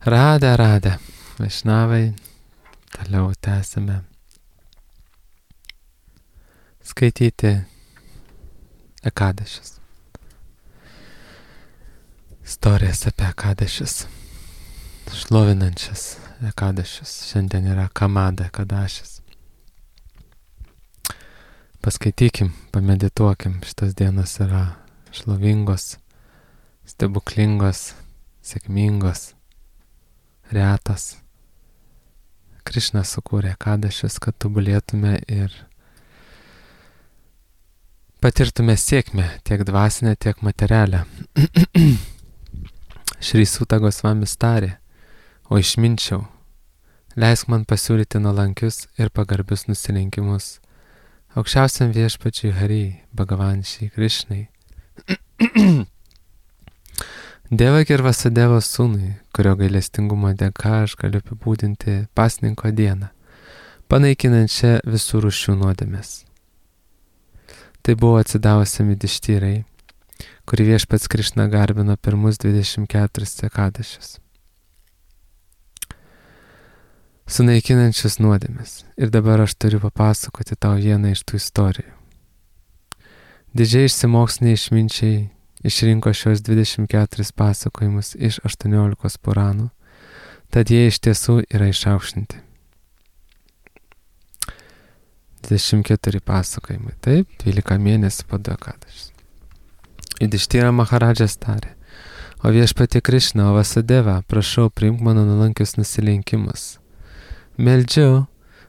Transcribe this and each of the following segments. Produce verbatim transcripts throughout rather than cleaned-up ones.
Radę, radę. Vaišnavai, toliau tęsime skaityti Ekadešis. Istorijas apie Ekadešis. Šlovinančias Ekadešis. Šiandien yra Kamada Ekadašis. Paskaitykim, pamedituokim. Šitas dienos yra šlovingos, stebuklingos, sėkmingos, retas. Krišna sukūrė Ekadašis, kad tobulėtume ir patirtume sėkmę, tiek dvasinę, tiek materialę. Šri Suta Gosvamis tarė, o išminčiau, leisk man pasiūlyti nuolankius ir pagarbius nusilenkimus aukščiausiam viešpačiui Hari, Bhagavan Šri Krišnai. Devaki ir Vasudevos sūnui, kurio gailestingumo dėka aš galiu apibūdinti pasninko dieną, panaikinančią visų rūšių nuodėmes. Tai buvo atsidavusi Midištyrai, kuri viešpats Krišna garbino pirmus dvidešimt keturis Ekadašius. Sunaikinančius nuodėmes. Ir dabar aš turiu papasakoti tau vieną iš tų istorijų. Didžiai išsimokslinę išminčiai išrinko šios dvidešimt keturis pasakojimus iš aštuoniolikos Puranų, tad jie iš tiesų yra išaukštinti. dvidešimt keturi pasakojimai, taip, dvylika mėnesių po du Ekadašis. Judištyra Maharadžas tarė, o viešpatie Krišna, o Vasudeva, prašau, priimk mano nuolankius nusilenkimus. Meldžiu,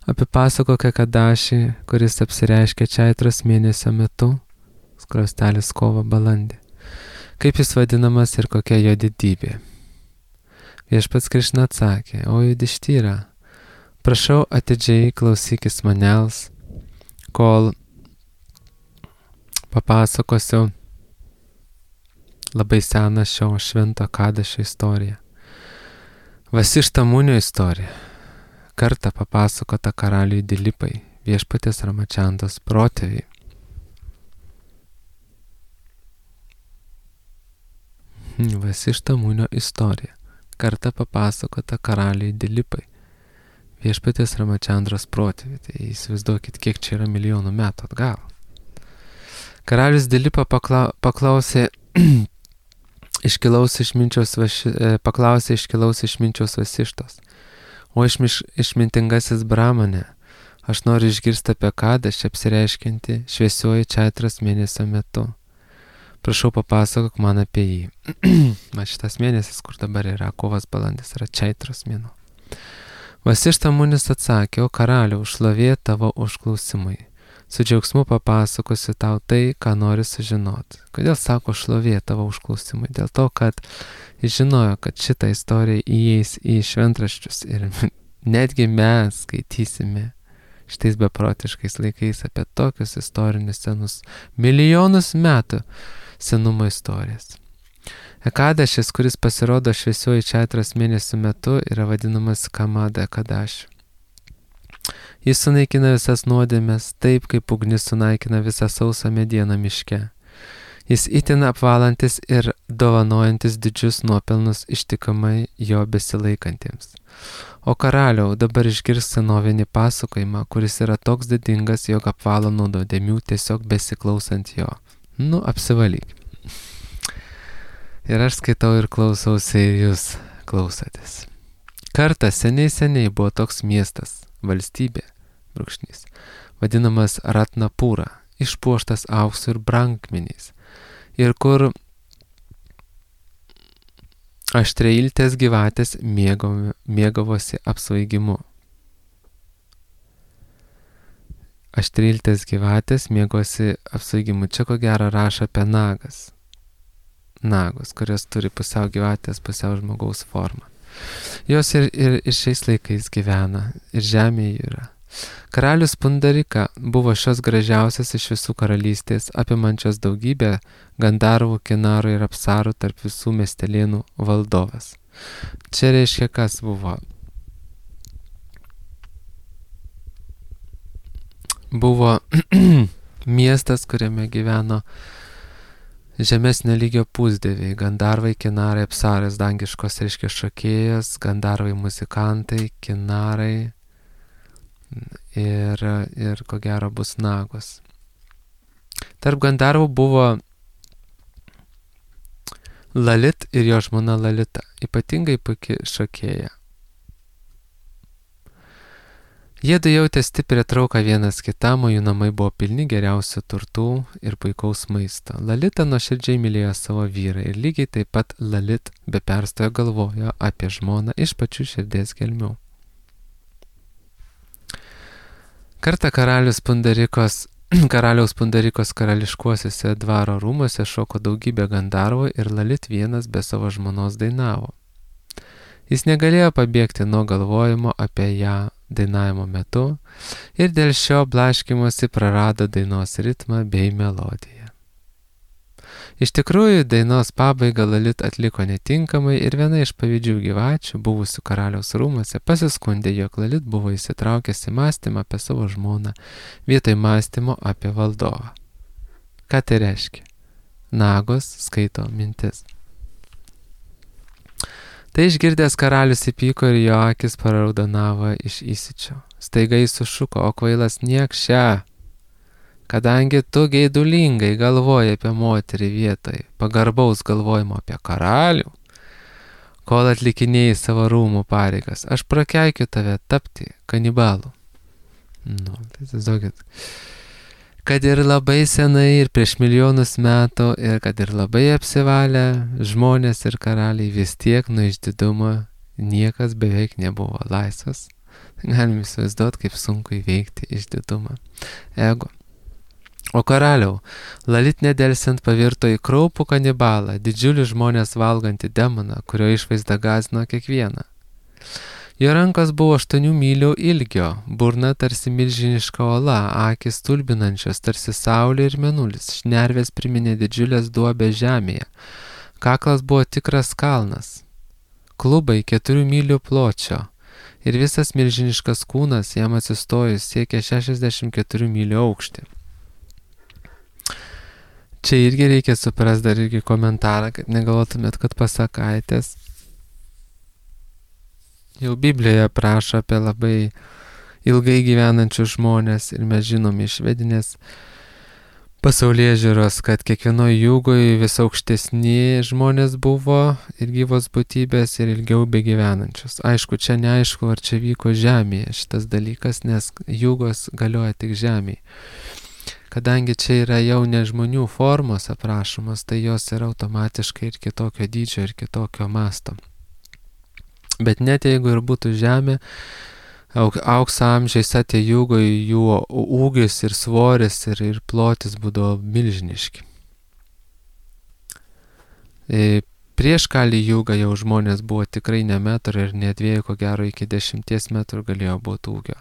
apipasakok Ekadašį, kuris apsireiškia Čaitros mėnesio metu, skrostelis kovo balandį. Kaip jis vadinamas ir kokia jo didybė. Viešpats Krišna atsakė, o Judištyra, prašau atidžiai klausykis manęs, kol papasakosiu labai seną šio švento Ekadašio istoriją. Vasišta Munio istorija. Kartą papasakota karaliui Dilipai, viešpatės Ramačandos protėviai. Vasišta Munio istorija. Kartą papasakota karaliui Dilipai, viešpatės Ramačandros protėviai. Tai įsivaizduokit, kiek čia yra milijonų metų atgal. Karalius Dilipa pakla, paklausė iškilaus išminčiaus vaši, paklausė iškilaus išminčiaus Vasištos. O išmiš, išmintingasis Brahmane, aš noriu išgirsti apie Ekadašį apsireiškinti šviesioji Čaitros mėnesio metu. Prašau, papasakok man apie jį. Man šitas mėnesis, kur dabar yra kovas balandis, yra Čaitros mėnuo. Vasišta Munis atsakė, o karaliau, šlovė tavo užklausimai. Su džiaugsmu papasakosiu tau tai, ką nori sužinoti. Kodėl sako šlovė tavo užklausimai? Dėl to, kad jis žinojo, kad šitą istoriją įeis į šventraščius ir netgi mes skaitysime šitais beprotiškais laikais apie tokius istorinius senus, milijonus metų senumo istorijas. Ekadašis, kuris pasirodo šviesioji Čaitros mėnesio metu, yra vadinamas Kamada Ekadašiu. Jis sunaikina visas nuodėmes taip, kaip ugnis sunaikina visą sausą medieną miške. Jis itin apvalantis ir dovanojantis didžius nuopelnus ištikimai jo besilaikantiems. O karaliau, dabar išgirs senovinį pasakojimą, kuris yra toks didingas, jog apvalo nuo nuodėmių tiesiog besiklausant jo. Nu, apsivalyk. Ir aš skaitau ir klausausi, ir jūs klausotės. Kartą seniai seniai buvo toks miestas, valstybė, brūkšnys, vadinamas Ratnapūra, išpuoštas auksu ir brangakmeniais, ir kur aštreiltės gyvatės mėgavo, mėgavosi apsvaigimu. Aštreiltės gyvatės mėgosi apsvaigimu. Čia ko gero rašo apie nagas. Nagus, kurios turi pusiau gyvatės, pusiau žmogaus formą. Jos ir, ir, ir šiais laikais gyvena, ir žemėje yra. Karalius Pundarika buvo šios gražiausias iš visų karalystės, apimančios daugybę Gandarvų, Kinarų ir Apsarų tarp visų miestelėnų valdovas. Čia reiškia, kas buvo. Buvo miestas, kuriame gyveno žemesnio lygio pusdieviai, gandarvai, kinarai, apsaras, dangiškos reiškia šokėjas, gandarvai, muzikantai, kinarai ir, ir ko gero bus nagos. Tarp gandarvų buvo Lalit ir jo žmona Lalita, ypatingai puiki šokėja. Jie du jautė stiprią trauką vienas kitam, o jų namai buvo pilni geriausių turtų ir puikaus maisto. Lalita nuoširdžiai mylėjo savo vyrą ir lygiai taip pat Lalit be perstojo galvojo apie žmoną iš pačių širdies gelmių. Kartą karalius Pundarikos, karaliaus Pundarikos karališkuosiuose dvaro rūmuose šoko daugybė gandarvų ir Lalit vienas be savo žmonos dainavo. Jis negalėjo pabėgti nuo galvojimo apie ją dainavimo metu ir dėl šio blaškymosi prarado dainos ritmą bei melodiją. Iš tikrųjų, dainos pabaigą Lalit atliko netinkamai ir viena iš pavydžių gyvačių, buvusių karaliaus rūmuose, pasiskundė, jog Lalit buvo įsitraukęs į mąstymą apie savo žmoną, vietoj mąstymo apie valdovą. Ką tai reiškia? Nagos skaito mintis. Tai išgirdęs karalius įpyko ir jo akis paraudonavo iš įsičio. Staiga jis sušuko, o kvailas niekše, kadangi tu geidulingai galvoji apie moterį vietoj pagarbaus galvojimo apie karalių, kol atlikinėjai savo rūmų pareigas, aš prakeikiu tave tapti kanibalu. Nu, tai tiesiog, kad ir labai senai ir prieš milijonus metų ir kad ir labai apsivalę žmonės ir karaliai, vis tiek nuo išdidumo niekas beveik nebuvo laisvas. Galime įsivaizduoti, kaip sunku įveikti išdidumą. Ego. O karaliau, Lalit nedelsiant pavirto į kraupų kanibalą, didžiulį žmonės valgantį demoną, kurio išvaizda gąsdino kiekvieną. Jo rankos buvo aštuonių mylių ilgio, burna tarsi milžiniška ola, akis stulbinančios tarsi saulė ir mėnulis, šnervės priminė didžiulės duobės žemėje, kaklas buvo tikras kalnas, klubai keturių mylių pločio ir visas milžiniškas kūnas jam atsistojus siekia šešiasdešimt keturių mylių aukštį. Čia irgi reikia suprast dar irgi komentarą, kad negalvotumėt, kad pasakaitės. Jau Biblijoje prašo apie labai ilgai gyvenančius žmonės ir mes žinom iš vedinės pasaulėžiūros, kad kiekvienoje jūgoje vis aukštesni žmonės buvo ir gyvos būtybės ir ilgiau begyvenančius. Aišku, čia neaišku, ar čia vyko žemėje šitas dalykas, nes jūgos galioja tik žemėje. Kadangi čia yra jau ne žmonių formos aprašomos, tai jos yra automatiškai ir kitokio dydžio ir kitokio masto. Bet net jeigu ir būtų žemė, aukso amžiais atė jūgo, jų ūgis ir svoris ir, ir plotis būdavo milžiniški. E, prieš kalį jūgą jau žmonės buvo tikrai ne metrų ir ne dviejų, ko gero iki dešimties metrų galėjo būti ūgio.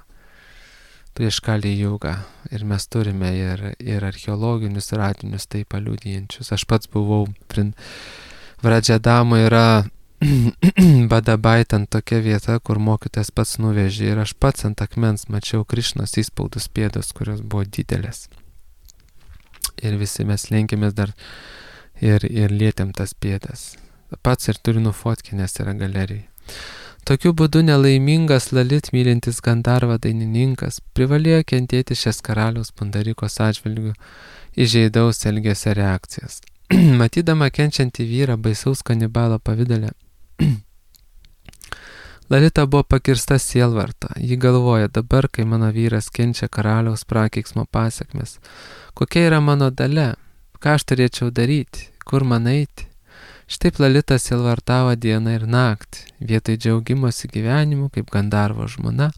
Prieš kalį jūgą. Ir mes turime ir, ir archeologinius radinius tai paliudijančius. Aš pats buvau, Vradžedamo yra Badabaitant tokia vieta, kur mokytojas pats nuvežė ir aš pats ant akmens mačiau Krišnos įspaudus pėdos, kurios buvo didelės. Ir visi mes lenkėmės dar ir, ir lietėm tas pėdas. Pats ir turiu nufotkinęs yra galerijai. Tokiu būdu nelaimingas Lalit mylintis Gandarva dainininkas privalėjo kentėti šias karaliaus Pundarikos atžvilgių įžeidaus elgesio reakcijas. Matydama kenčiantį vyrą baisaus kanibalo pavidale, Lalita buvo pakirsta sielvarto. Ji galvoja, dabar, kai mano vyras kenčia karaliaus prakeiksmo pasekmes, kokia yra mano dalia, ką aš turėčiau daryti, kur man eiti. Štaip Lalita sielvartavo dieną ir naktį. Vietoj džiaugimosi gyvenimu, kaip Gandarvo žmona,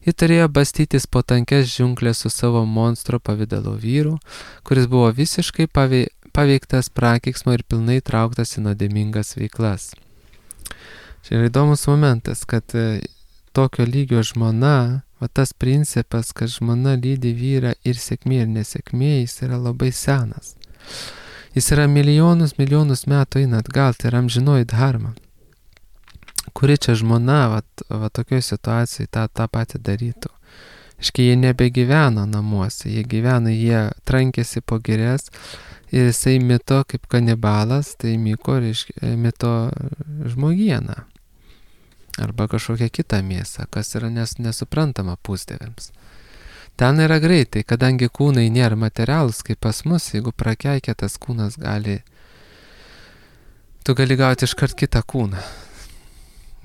ji turėjo bastytis po tankes džiunglės su savo monstro pavidalo vyru, kuris buvo visiškai pavei, paveiktas prakeiksmo ir pilnai trauktas į nuodėmingas veiklas. Čia yra įdomus momentas, kad e, tokio lygio žmona, va tas principas, kad žmona lydi vyrą ir sėkmė ir nesėkmė, jis yra labai senas. Jis yra milijonus, milijonus metų eina atgal, tai yra amžinoji dharma. Kuri čia žmona, va, va tokioje situacijoje tą, tą patį darytų. Iškai jie nebegyveno namuose, jie gyveno, jie trankėsi po girias ir jisai mito kaip kanibalas, tai myko, reiškia, mito žmogieną. Arba kažkokią kitą mėsą, kas yra nes, nesuprantama pusdieviams. Ten yra greitai, kadangi kūnai nėra materialūs kaip pas mus, jeigu prakeikia tas kūnas gali, tu gali gauti iškart kitą kūną.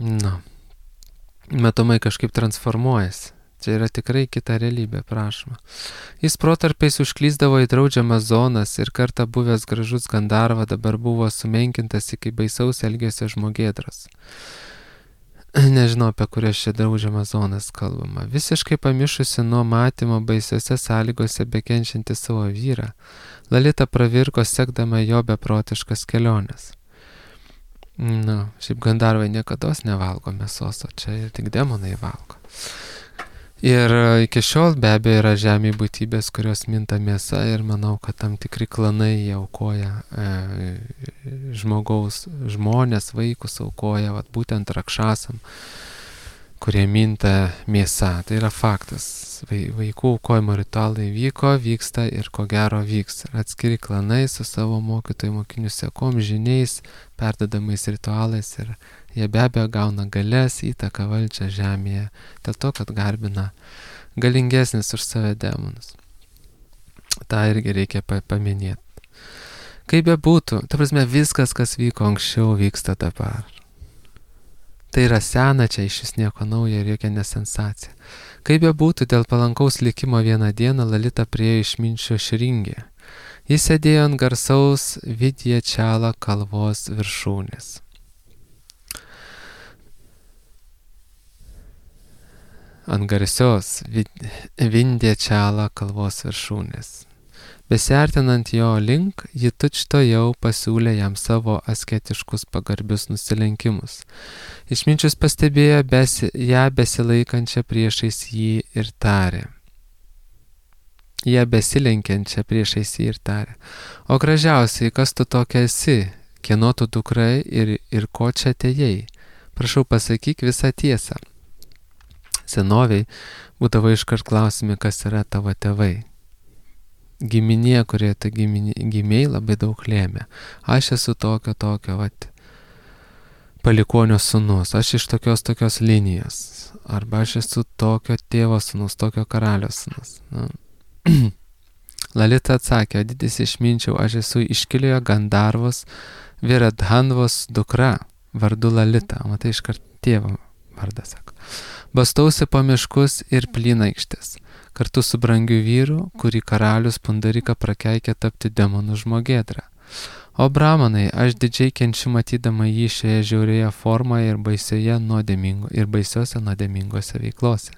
Nu, matomai kažkaip transformuojasi. Čia yra tikrai kita realybė, prašoma. Jis protarpiais užklyzdavo į draudžiamas zonas ir kartą buvęs gražus Gandarva dabar buvo sumenkintas iki baisaus elgesio žmogėdros. Nežinau, apie kurias čia draudžiamas zonas kalbama. Visiškai pamišusi nuo matymo baisiose sąlygose bekenčianti savo vyrą, Lalita pravirko sekdama jo beprotiškas keliones. Nu, šiaip Gandarvai niekados nevalgo mėsos, o čia ir tik demonai valgo. Ir iki šiol be abejo yra žemėje būtybės, kurios minta mėsa ir manau, kad tam tikri klanai jie aukoja e, žmogaus, žmonės, vaikus aukoja, vat, būtent rakšasam, kurie minta mėsa. Tai yra faktas. Vaikų aukojimo ritualai vyko, vyksta ir ko gero vyks. Atskiri klanai su savo mokytojų mokinių sekom, žiniais, perdodamais ritualais ir jie be abejo gauna galės, įtaką, valdžią žemėje, dėl to, kad garbina galingesnis už save demonus. Ta irgi reikia paminėti. Kaip be būtų, ta prasme, viskas, kas vyko anksčiau, vyksta dabar. Tai yra sena, čia iš vis nieko naujo ir jokia nesensacija. Kaip be būtų, dėl palankaus likimo vieną dieną Lalita priėjo išminčio Šringį. Jis sėdėjo ant garsaus Vidjačala kalvos viršūnės. Ant garsios Vindjačala kalvos viršūnės. Besiartinant jo link, ji tučto jau pasiūlė jam savo asketiškus pagarbius nusilenkimus. Išminčius pastebėjo besi, ją besilaikančią priešais jį ir tarė. Ją besilenkiančią priešais jį ir tarė. O gražiausiai, kas tu tokia esi, kieno tu dukrai ir, ir ko čia atėjai? Prašau, pasakyk visą tiesą. Senoviai būdavo iškart klausimi, kas yra tavo tėvai. Giminė, kurie tu gimiai, labai daug lėmė. Aš esu tokio, tokio, vat, palikonio sūnus, aš iš tokios, tokios linijos. Arba aš esu tokio tėvo sūnus, tokio karalio sūnus. Nu. Lalita atsakė, didis išminčiau, aš esu iškiliojo Gandarvos Viradhanvos dukra, vardu Lalita. Matai, iškart tėvo vardą sako. Bastausi po miškus ir plynaikštės. Kartu su brangiu vyru, kurį karalius Pundarika prakeikė tapti demonų žmogėdra. O bramanai, aš didžiai kenčiu matydama jį šioje žiaurėje formoje ir, ir baisiose nuodėmingose veiklose.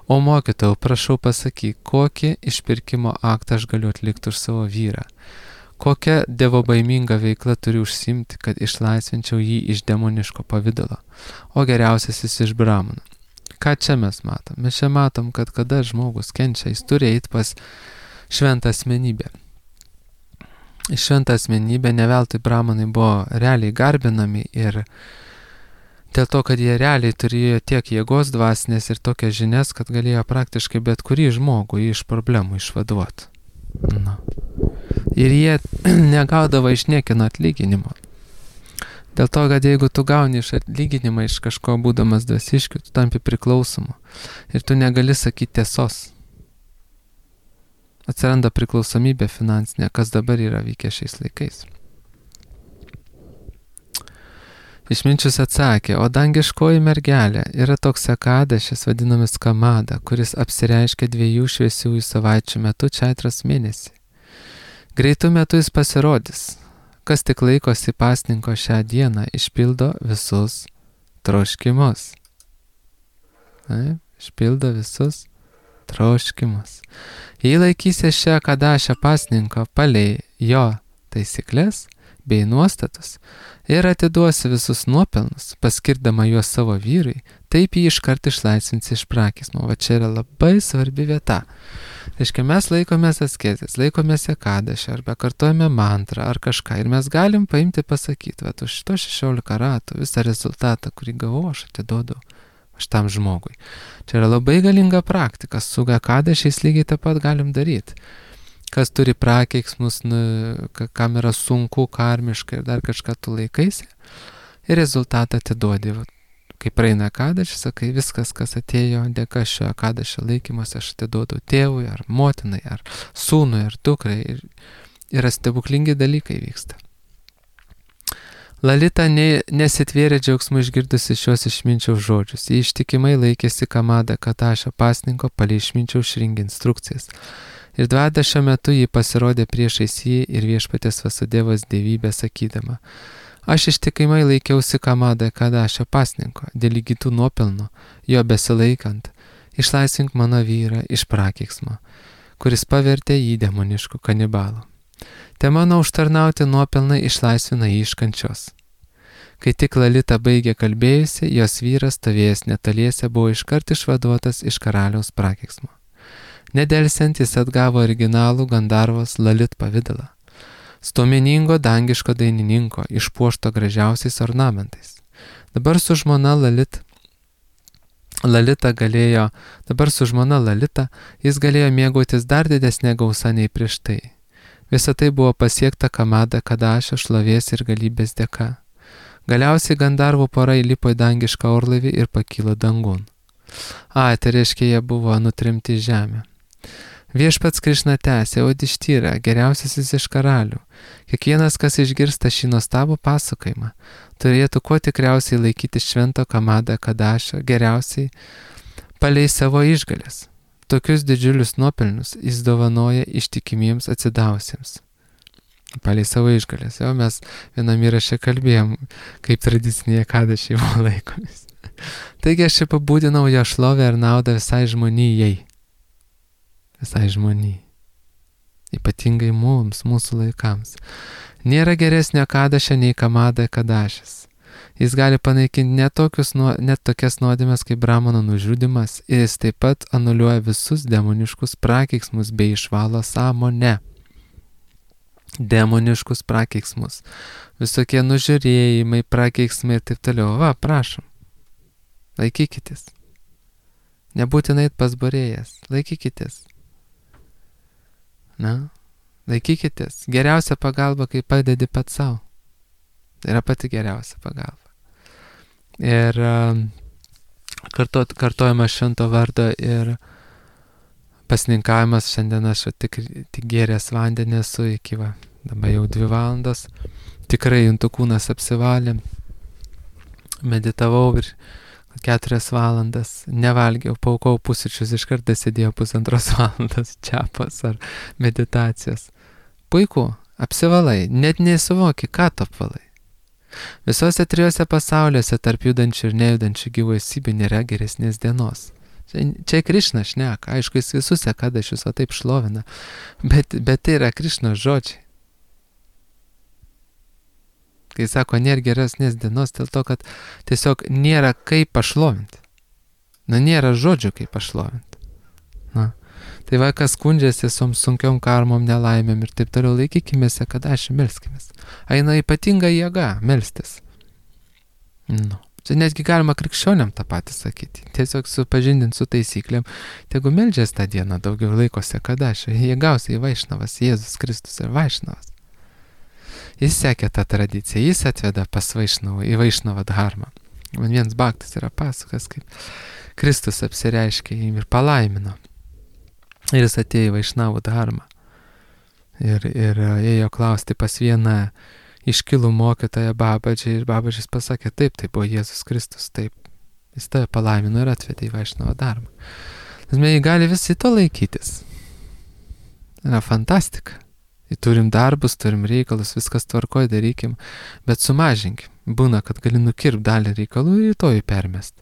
O mokytojau, prašau pasakyk, kokį išpirkimo aktą aš galiu atlikti už savo vyrą? Kokią dievobaimingą veiklą turiu užsimti, kad išlaisvinčiau jį iš demoniško pavidalo? O geriausiasis iš bramanų. Ką čia mes matom? Mes čia matom, kad kada žmogus kenčia, jis turi eiti pas šventą asmenybę. Šventą asmenybę ne veltui bramanai buvo realiai garbinami ir dėl to, kad jie realiai turėjo tiek jėgos dvasinės ir tokias žinias, kad galėjo praktiškai bet kurį žmogų iš problemų išvaduoti. Na. Ir jie negaudavo iš niekino atlyginimo. Dėl to, kad jeigu tu gauni iš atlyginimą iš kažko būdamas dvasiškiu, tu tampi priklausomu ir tu negali sakyti tiesos. Atsiranda priklausomybė finansinė, kas dabar yra vykę šiais laikais. Išminčius atsakė, o dangiškoji mergelė yra toks akadešis vadinamas Kamada, kuris apsireiškia dviejų šviesiųjų savaičių metu čaitros mėnesį. Greitų metu jis pasirodys. Kas tik laikosi pasninko šią dieną, išpildo visus troškimus. Na, išpildo visus troškimus. Jei laikysi šią kadašę pasninko palei jo taisyklės bei nuostatus ir atiduosi visus nuopelnus, paskirdama juos savo vyrui, taip jį iškart išlaisvinsi iš prakismo. Va čia yra labai svarbi vieta. Reiškia, mes laikomės asketės, laikomės ekadašę, arba kartojame mantrą ar kažką. Ir mes galim paimti pasakyti, va, už šito šešiolika ratų visą rezultatą, kurį gavau, aš atiduodu šitam žmogui. Čia yra labai galinga praktika, su ekadašiais lygiai taip pat galim daryti. kas turi prakeiksmus, nu, kam yra sunku, karmiškai ir dar kažką tu laikaisi. Ir rezultatą atiduodi. Kai praeina kadašį, sakai, viskas, kas atėjo dėka šio kadašio laikymas, aš atiduodu tėvui, ar motinai, ar sūnui, ar dukrai. Ir yra stebuklingi dalykai vyksta. Lalita ne, nesitvėrė džiaugsmu išgirdusi šios išminčiaus žodžius. Ji ištikimai laikėsi Kamada Kadašio pasninko palei išminčiaus šringi instrukcijas. Ir dvadašio metu ji pasirodė priešais jį ir viešpatės Vasudevos dievybę sakydama: aš ištikimai laikiausi Kamada Kadašio pasninko, dėl įgytų nuopelnų, jo besilaikant, išlaisvink mano vyrą iš prakeiksmo, kuris pavertė jį demonišku kanibalu. Te mano užtarnauti nuopelnai išlaisvina jį iš kančios. Kai tik Lalita baigė kalbėjusi, jos vyras stovėjęs netoliese buvo iškart išvaduotas iš karaliaus prakeiksmo. Nedelsiant jis atgavo originalų Gandarvos Lalit pavidalą. Stuomeningo dangiško dainininko, išpuošto gražiausiais ornamentais. Dabar su žmona Lalit, Lalita galėjo, dabar su žmona Lalita jis galėjo mėgautis dar didesnė gausa nei prieš tai. Visa tai buvo pasiekta Kamada Kadašio šlovės ir galybės dėka. Galiausiai Gandarvų pora įlipo į dangišką orlaivį ir pakilo dangun. A, tai reiškia, jie buvo nutrimti į žemę. Viešpats Krišna tęsė: Udištyra, geriausiasis iš karalių. Kiekvienas, kas išgirsta šį nuostabų pasakojimą, turėtų kuo tikriausiai laikyti švento Kamada Kadašio geriausiai palei savo išgalės. Tokius didžiulius nuopelnus jis dovanoja ištikimiems atsidavusiems. Palei savo išgalės. Jau mes vienam įraše kalbėjom, kaip tradicinėje kadašiai buvo laikomis. Taigi aš apibūdinau jo šlovę ir naudą visai žmonijai. Visai žmonijai. Ypatingai mums, mūsų laikams. Nėra geresnio kadašio nei Kamada Kadašis. Jis gali panaikinti net, tokius, net tokias nuodėmes kaip Brahmano nužudymas ir jis taip pat anuliuoja visus demoniškus prakeiksmus bei išvalo sąmonę. Demoniškus prakeiksmus. Visokie nužiūrėjimai, prakeiksmai ir taip toliau. Va, prašom. Laikykitės. Nebūtinai pas barėjas. Laikykitės. Na, laikykitės. Geriausia pagalba, kai padedi pats savo. Tai yra pati geriausia pagalba. Ir karto, kartojimas švento vardo ir pasninkavimas. Šiandien aš tik, tik gėręs vandenį esu iki va, dabar jau dvi valandos. Tikrai juntų kūnas apsivalė. Meditavau ir keturias valandas. Nevalgiau, paukau pusryčius, iš karto sėdėjau pusantros valandos čiapos ar meditacijos. Puiku, apsivalai, net nesuvoki, ką tu apvalai. Visose trijose pasauliuose tarp judančių ir nejudančių gyvųjų nėra geresnės dienos. Čia, čia Krišna šneka, aišku, jis visus kadašius o taip šlovina, bet, bet tai yra Krišnos žodžiai. Kai sako, nėra geresnės dienos, dėl to, kad tiesiog nėra kaip pašlovinti. Na, nėra žodžių kaip pašlovinti. Na. Tai va, kas skundžiasi su sunkiom karmom, nelaimėm ir taip toliau, laikykimėse, kad aš melskimės. Eina ypatinga jėga melstis. Nu. Čia netgi galima krikščioniam tą patį sakyti. Tiesiog supažindinti su taisyklėm. Tegu meldžias tą dieną daugiau laikosi, kad aš. Jie gausiai Vaišnavas, Jėzus Kristus ir Vaišnavas. Jis sekė tą tradiciją, jis atveda pas Vaišnavą, į Vaišnavą dharmą. Man vienas baktas yra pasakas, kaip Kristus apsireiškė jį ir palaimino. Ir jis atėjo į Vaišnavų dharmą. Ir, ir ėjo klausti pas vieną iškilų mokytoją Babadžį. Ir Babadžis pasakė, taip, tai buvo Jėzus Kristus, taip. Jis tave palaimino ir atvedė į Vaišnavą dharmą. Mes gali visi to laikytis. Yra fantastika. Turim darbus, turim reikalus, viskas tvarkoj, darykim, bet sumažinkim. Būna, kad gali nukirpti dalį reikalų ir rytoj permest.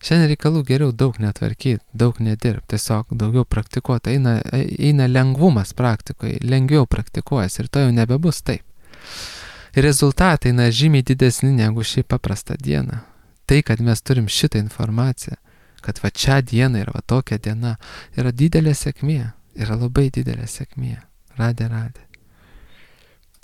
Šiandien reikalų geriau daug netvarkyti, daug nedirbti, tiesiog daugiau praktikuoti. Eina, eina lengvumas praktikoje, lengviau praktikuojas ir to jau nebebus taip. Ir rezultatai eina žymiai didesni negu šį paprastą dieną. Tai, kad mes turim šitą informaciją, kad va čia diena ir va tokia diena, yra didelė sėkmė, yra labai didelė sėkmė. Radė, radė.